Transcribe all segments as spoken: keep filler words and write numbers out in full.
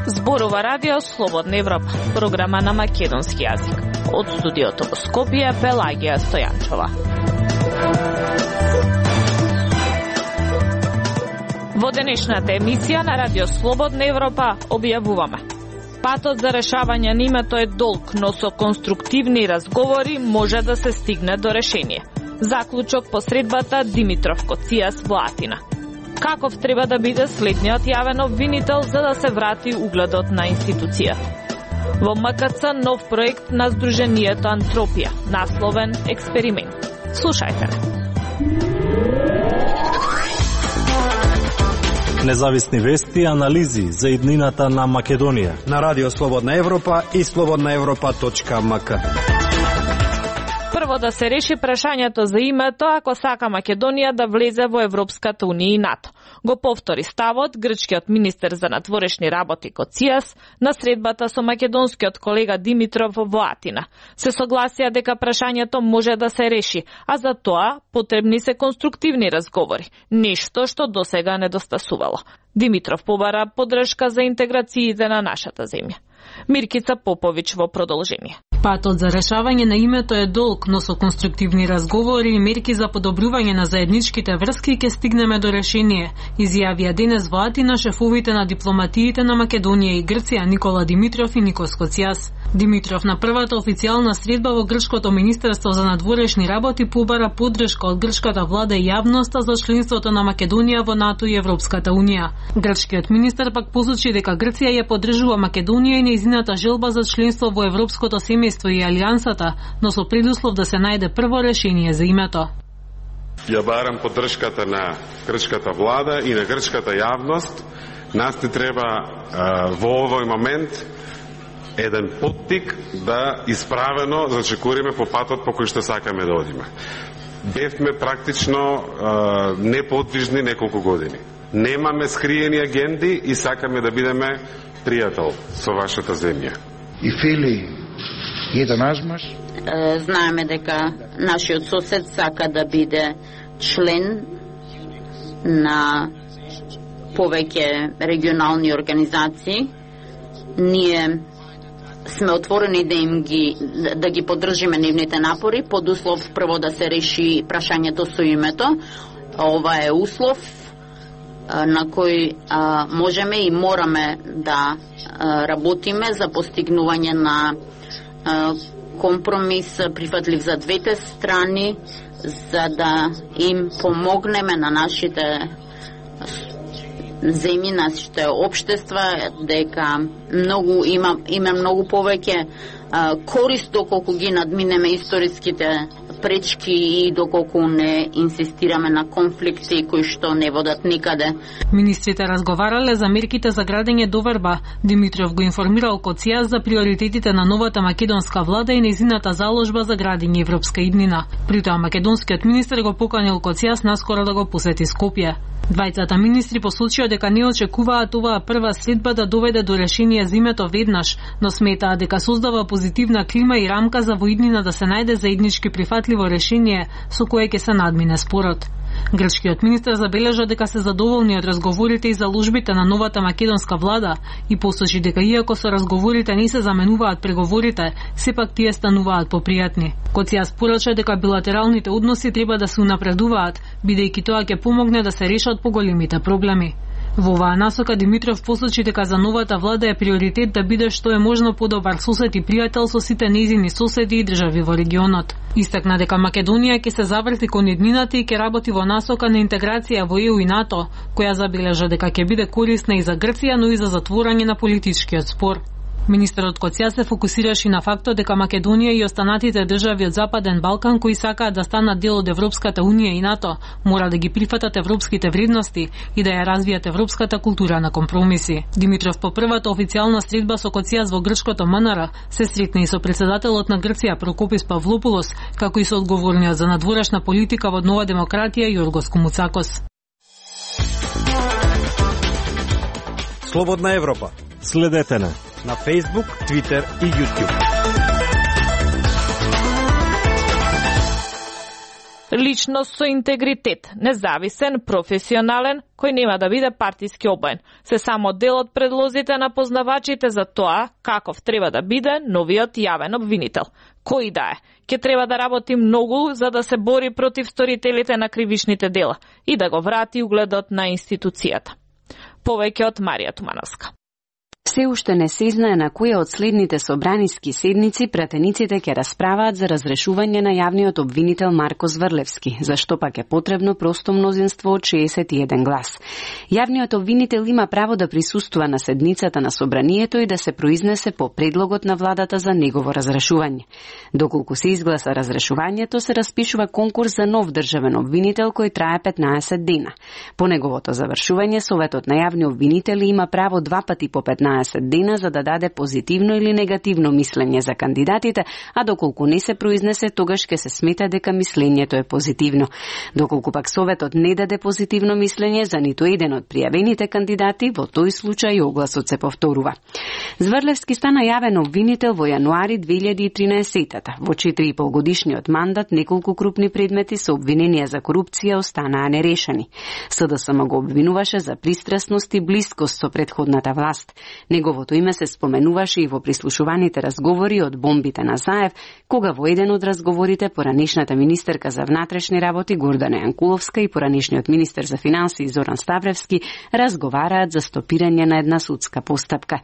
Зборува Радио Слободна Европа, програма на македонски јазик. Од студиото во Скопје, Пелагија Стојанчова. Во денешната емисија на Радио Слободна Европа објавуваме: патот за решавање на името е долг, но со конструктивни разговори може да се стигне до решение. Заклучок по средбата Димитров Коцијас во Атина. Каков треба да биде следниот јавен обвинител за да се врати угледот на институцијата? Во М К Ц нов проект на Сдруженијето Антропија, насловен Експеримент. Слушајте ме. Независни вести и анализи за иднината на Македонија на Радио Слободна Европа и слободна европа точка м к. Прво да се реши прашањето за името ако сака Македонија да влезе во Европската унија и НАТО. Го повтори ставот грчкиот министер за надворешни работи Коцијас на средбата со македонскиот колега Димитров во Атина. Се согласија дека прашањето може да се реши, а за тоа потребни се конструктивни разговори, нешто што досега недостасувало. Димитров побара поддршка за интеграциите на нашата земја. Миркица Поповиќ во продолжение. Патот за решавање на името е долг, но со конструктивни разговори и мерки за подобрување на заедничките врски ќе стигнеме до решение, изјавија денес во Атина шефовите на дипломатиите на Македонија и Грција Никола Димитров и Никос Коцијас. Димитров на првата официјална средба во грчкото министерство за надворешни работи побара поддршка од грчката влада и јавноста за членството на Македонија во НАТО и Европската унија. Грчкиот министер пак посочи дека Грција ја поддржува Македонија и нејзината желба за членство во Европското семејство и Алијансата, но со предуслов да се најде прво решение за името. Ја барам поддршката на грчката влада и на грчката јавност. Нас не треба а, во овој момент еден поттик да исправено зачекуриме по патот по кој што сакаме да одиме. Бевме практично а, неподвижни неколку години. Немаме скриени агенди и сакаме да бидеме пријател со вашата земја. И фили еден назмаш? Знаеме дека нашиот сосед сака да биде член на повеќе регионални организации. Ние сме отворени да им ги да ги поддржиме нивните напори, под услов прво да се реши прашањето со името. Ова е услов на кој а, можеме и мораме да а, работиме за постигнување на а, компромис прифатлив за двете страни, за да им помогнеме на нашите земји, нашите општества, дека многу има има многу повеќе а, корист доколку ги надминеме историските пречки и доколку не инсистираме на конфликти кои што не водат никаде. Министрите разговарале за мерките за градење доверба. Димитров го информирал Коцијас за приоритетите на новата македонска влада и нејзината заложба за градење европска иднина. При тоа македонскиот министер го поканил Коцијас наскоро да го посети Скопје. Двајцата министри посочија дека не очекуваат оваа прва средба да доведе до решение за името веднаш, но сметаат дека создава позитивна клима и рамка за во иднина да се најде заеднички прифатливо решение со кое ќе се надмине спорот. Грчкиот министер забележа дека се задоволни од разговорите и заложбите на новата македонска влада и посочи дека иако со разговорите не се заменуваат преговорите, сепак тие стануваат попријатни. Коцијас порача дека билатералните односи треба да се унапредуваат, бидејќи тоа ќе помогне да се решат поголемите проблеми. Во оваа насока Димитров посочи дека за новата влада е приоритет да биде што е можно подобар сосед и пријател со сите нејзини соседи и држави во регионот. Истакна дека Македонија ќе се заврти кон иднината и ќе работи во насока на интеграција во Е У и НАТО, која забележа дека ќе биде корисна и за Грција, но и за затворање на политичкиот спор. Министерот Коцијас се фокусираше на фактот дека Македонија и останатите држави од Западен Балкан кои сакаат да станат дел од Европската унија и НАТО, мора да ги прифатат европските вредности и да ја развијат европската култура на компромиси. Димитров по првата официјална средба со Коцијас во грчкото М Н Р се сретна и со претседателот на Грција Прокопис Павлопулос, како и со одговорниот за надворешна политика во Нова демократија Јоргос Комуцакос. Слободна Европа. Следете на на Facebook, Twitter и YouTube. личност со интегритет, независен, професионален, кој нема да биде партиски обоен. Се само дел од предлозите на познавачите за тоа каков треба да биде новиот јавен обвинител. Кој да е, ќе треба да работи многу за да се бори против сторителите на кривичните дела и да го врати угледот на институцијата. Повеќе од Марија Тумановска. Се уште не се знае на која од следните собраниски седници пратениците ќе расправаат за разрешување на јавниот обвинител Марко Зврлевски, зашто пак е потребно просто мнозинство од шеесет и еден глас. Јавниот обвинител има право да присуствува на седницата на собранието и да се произнесе по предлогот на владата за негово разрешување. Доколку се изгласа разрешувањето, се распишува конкурс за нов државен обвинител кој трае петнаесет дена. По неговото завршување, Советот на јавни обвинители има право два пати по петнаесет дена за да даде позитивно или негативно мислење за кандидатите, а доколку не се произнесе, тогаш ќе се смета дека мислењето е позитивно. Доколку пак Советот не даде позитивно мислење за ниту еден од пријавените кандидати, во тој случај огласот се повторува. Зврлевски стана јавен обвинител во јануари две илјади и тринаесетта. Во четири и пол годишниот мандат неколку крупни предмети со обвиненија за корупција останаа нерешени. СДСМ го обвинуваше за пристрасност и блискост со претходната власт. Неговото име се споменуваше и во прислушуваните разговори од бомбите на Заев, кога во еден од разговорите поранешната министерка за внатрешни работи Гордана Јанкуловска и поранешниот министер за финансии Зоран Ставревски разговараат за стопирање на една судска постапка.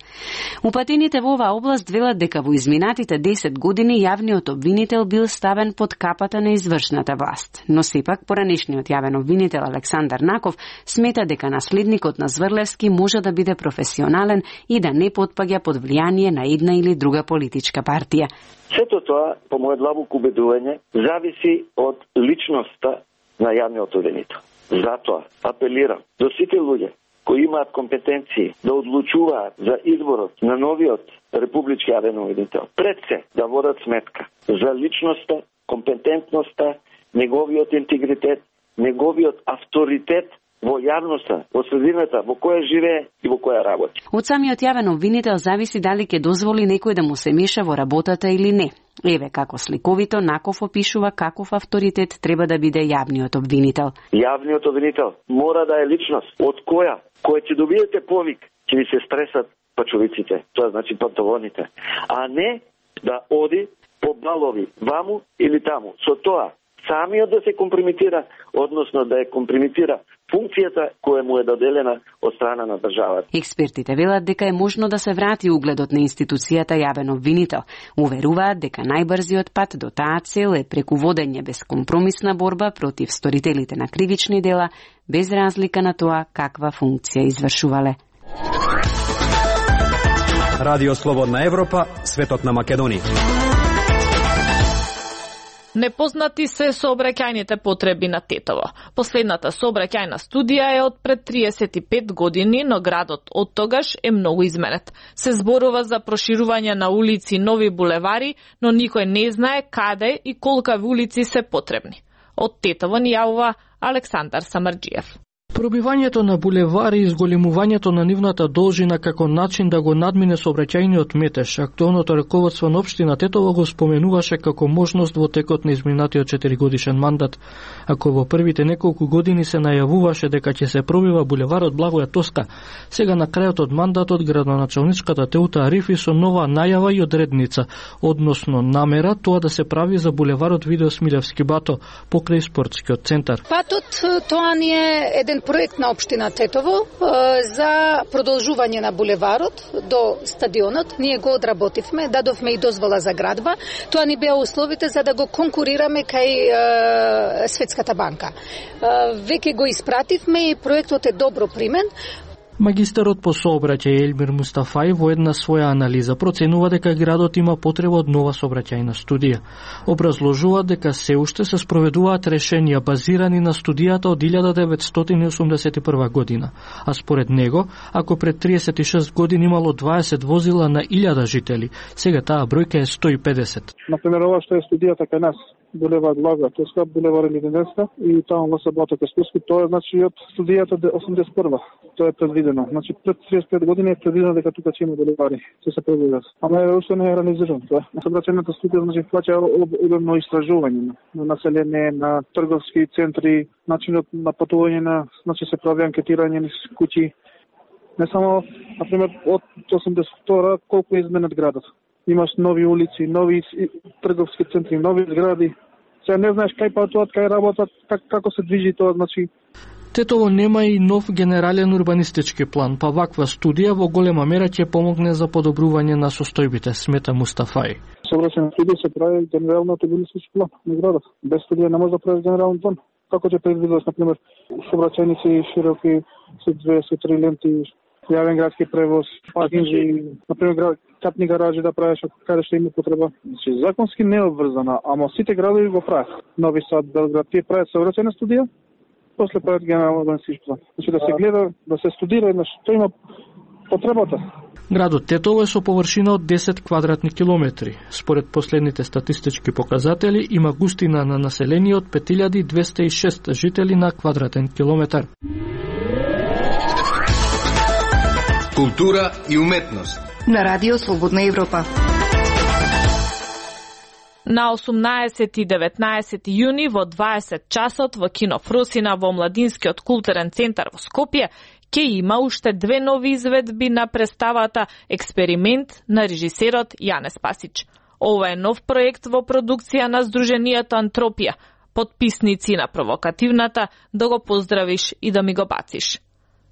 Упатените во оваа област велат дека во изминатите десет години јавниот обвинител бил ставен под капата на извршната власт, но сепак поранешниот јавен обвинител Александар Наков смета дека наследникот на Зврлевски може да биде професионален и да не потпаѓа под влијание на една или друга политичка партија. Сето тоа, по моје длабоко убедување, зависи од личноста на јавниот обвинител. Затоа апелирам до сите луѓе кои имаат компетенции да одлучуваат за изборот на новиот републички јавен обвинител, пред се да водат сметка за личноста, компетентноста, неговиот интегритет, неговиот авторитет во јавноста, во средината во која живее и во која работи. Од самиот јавен обвинител зависи дали ќе дозволи некој да му се меша во работата или не. Еве како сликовито Наков опишува каков авторитет треба да биде јавниот обвинител. Јавниот обвинител мора да е личност од која, која ќе добиете повик, ќе ви се стресат пачовиците, тоа значи панталоните, а не да оди по балови ваму или таму. Со тоа самиот да се компрометира, односно да ја компрометира функцијата која му е доделена од страна на државата. Експертите велат дека е можно да се врати угледот на институцијата јавен обвинител. Уверуваат дека најбрзиот пат до таа цел е преку водење безкомпромисна борба против сторителите на кривични дела, без разлика на тоа каква функција извршувале. Радио Слободна Европа, светот на Македонија. Непознати се сообраќајните потреби на Тетово. Последната сообраќајна студија е од пред триесет и пет години, но градот од тогаш е многу изменет. Се зборува за проширување на улици и нови булевари, но никој не знае каде и колкави улици се потребни. Од Тетово ни јавува Александар Самарџиев. Пробивањето на булевари и зголемувањето на нивната должина како начин да го надмине сообраќајниот метеж, актуелното раководство на општина Тетово го споменуваше како можност во текот на изминатиот четиригодишен мандат. Ако во првите неколку години се најавуваше дека ќе се пробива булеварот Благоја Тоска, сега на крајот од мандатот градоначалничката Теута Арифи со нова најава и одредница, односно намера тоа да се прави за булеварот Видео Смилевски Бато покрај спортскиот центар. Патот тоа ни е еден проект на општина Тетово за продолжување на булеварот до стадионот. Ние го одработивме, дадовме и дозвола за градба. Тоа ни беа условите за да го конкурираме кај Светската банка. Веќе го испративме и проектот е добро примен. Магистерот по сообраќај Елмир Мустафај во една своја анализа проценува дека градот има потреба од нова сообраќајна студија. Образложува дека се уште се спроведуваат решенија базирани на студијата од илјада деветстотини и осумдесет и прва година, а според него, ако пред триесет и шест години имало дваесет возила на илјада жители, сега таа бројка е сто и педесет. Например, ова што е студијата кај нас, булевар Лага Тоска, булевар Лиденска и таму во Сабота Каспуски. Тоа е значи од студијата осумдесет и прва. Тоа е предвидено. Значи пред триесет и пет години е предвидено дека тука ќе има булевари, ќе се предвидат. Ама е уште не е реализирано тоа. Сообраќајната студија значи фаќа обемно истражување на население, на трговски центри, начинот на патување на, значи се прави анкетирање на куќи. Не само, например, од осумдесет и втора колку е изменет градот. Имаш нови улици, нови трговски центри, нови згради. Сега не знаеш кај патуваат, кај работат, как, како се движи тоа, значи. Тетово нема и нов генерален урбанистички план, па ваква студија во голема мера ќе помогне за подобрување на состојбите, смета Мустафај. Сообраќајна студија се прави генерален урбанистички план на градот. Без студија не може да правиш генерален план. Како ќе предвидиш, например, сообраќајници широки со две, со три ленти, јавен градски превоз, паркинзи, например, капни гаражи да правиш каде што има потреба. Значи, законски не е обврзана, ама сите градови го прават. Нови Сад, Белград, тие прават сообраќајна студија, после прават генерален урбанистички план. Значи да се гледа, да се студира на што има потребата. Градот Тетово е со површина од десет квадратни километри. Според последните статистички показатели има густина на население од пет илјади двесте и шест жители на квадратен километар. Култура и уметност на Радио Слободна Европа. На осумнаесет и деветнаесет јуни во дваесет часот во Кино Фросина во Младинскиот културен центар во Скопје ќе има уште две нови изведби на представата Експеримент на режисерот Јане Спасич. Ова е нов проект во продукција на Сдруженијето Антропија, подписници на провокативната Да го поздравиш и да ми го бациш.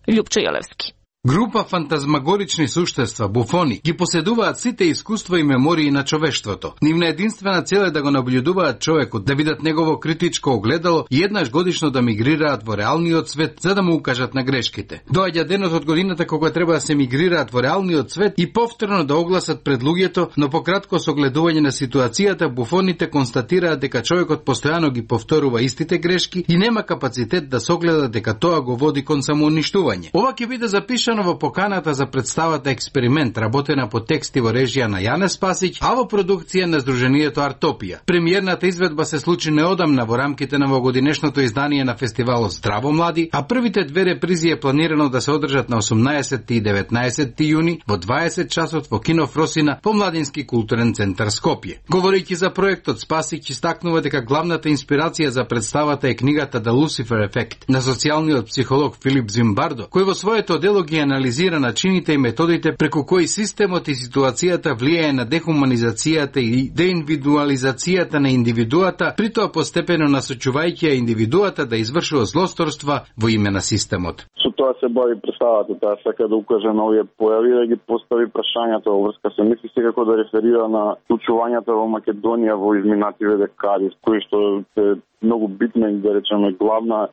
Љупчо Јолевски. Група фантазмагорични суштества, буфони, ги поседуваат сите искуства и мемории на човештвото. Нивна единствена цел е да го наблюдуваат човекот, да видат негово критичко огледало и еднаш годишно да мигрираат во реалниот свет за да му укажат на грешките. Доаѓа денот од годината кога треба да се мигрираат во реалниот свет и повторно да огласат пред луѓето, но пократко со огледување на ситуацијата, буфоните констатираат дека човекот постојано ги повторува истите грешки и нема капацитет да согледа дека тоа го води кон самоуништување. Ова ќе биде запишано во поканата за представата Експеримент, работена по текст и во режија на Јане Спасич, а во продукција на Сдруженијето Артопија. Премиерната изведба се случи неодамна во рамките на овогодинешното издание на фестивалот Здраво млади, а првите две репризи е планирано да се одржат на осумнаесет и деветнаесет јуни во дваесет часот во Кино Фросина по Младински културен центар Скопје. Говорејќи за проектот, Спасич истакнува дека главната инспирација за представата е книгата The Lucifer Effect на социјалниот психолог Филип Зимбардо, кој во своето дело ги анализира начините и методите преку кои системот и ситуацијата влијае на дехуманизацијата и деиндивидуализацијата на индивидуата, при тоа постепено насочувајќи ја индивидуата да извршува злосторства во име на системот. Со тоа се бави представата, таа сака да укаже на овие појави, да ги постави прашањата во врска се мисли секако да реферира на случувањата во Македонија во изминативе декади, кои што се многу битна и да речеме главна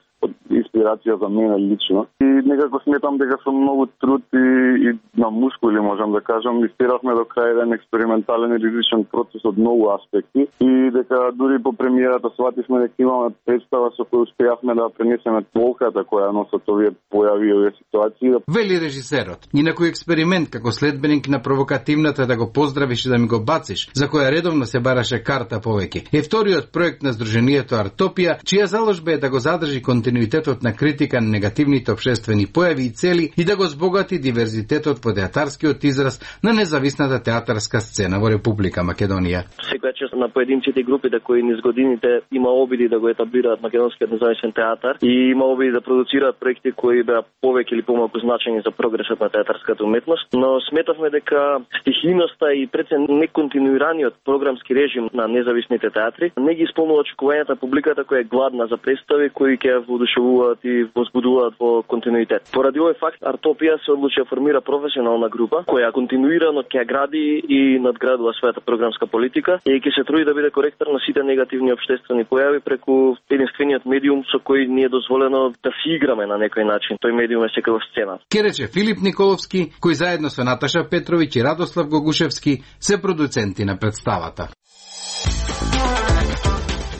инспирација за мене лично. И некако сметам дека со многу труд и, и на мускули, можам да кажам, истеравме до крај еден експериментален и ризичен процес од многу аспекти и дека дури по премиерата свативме дека имаме представа со која успеавме да пренесеме толката која носат овие појави и овие ситуации. Вели режисерот. Ни на кој експеримент како следбеник на провокативната Да го поздравиш и да ми го бациш, за која редовно се бараше карта повеќе, е вториот проект на Сдруженијето Артопија, чија заложба е да го задржи континуитетот на критика на негативните општествени појави и цели и да го збогати диверзитетот во театарскиот израз на независната театарска сцена во Република Македонија. Секоја чест на поединците и групите кои низ годините има обиди да го етаблираат македонскиот независен театар и има обиди да продуцираат проекти кои беа повеќе или помалку значени за прогресот на театарската уметност, но сметавме дека стихијноста и пред неконтинуираниот програмски режим на независните театри не ги исполнува очекувањата на публиката која е гладна за представи кои ќе воодушевуваат и возбудуваат во континуитет. Поради овој факт, Артопија се одлучи да формира професионална група која континуирано ќе гради и надградува својата програмска политика и ќе се труди да биде коректор на сите негативни општествени појави преку единствениот медиум со кој ни е дозволено да си играме на некој начин. Тој медиум е секако сцена. Ке рече Филип Николовски, кој заедно со Наташа Петровиќ и Радослав Гогушевски се продуценти на представата.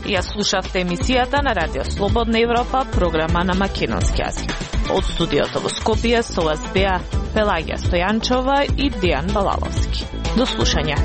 Ја слушавте емисијата на Радио Слободна Европа, програма на македонски јазик. Од студиото во Скопје со вас беа Пелагија Стојанчова и Дијан Балаловски. До слушање.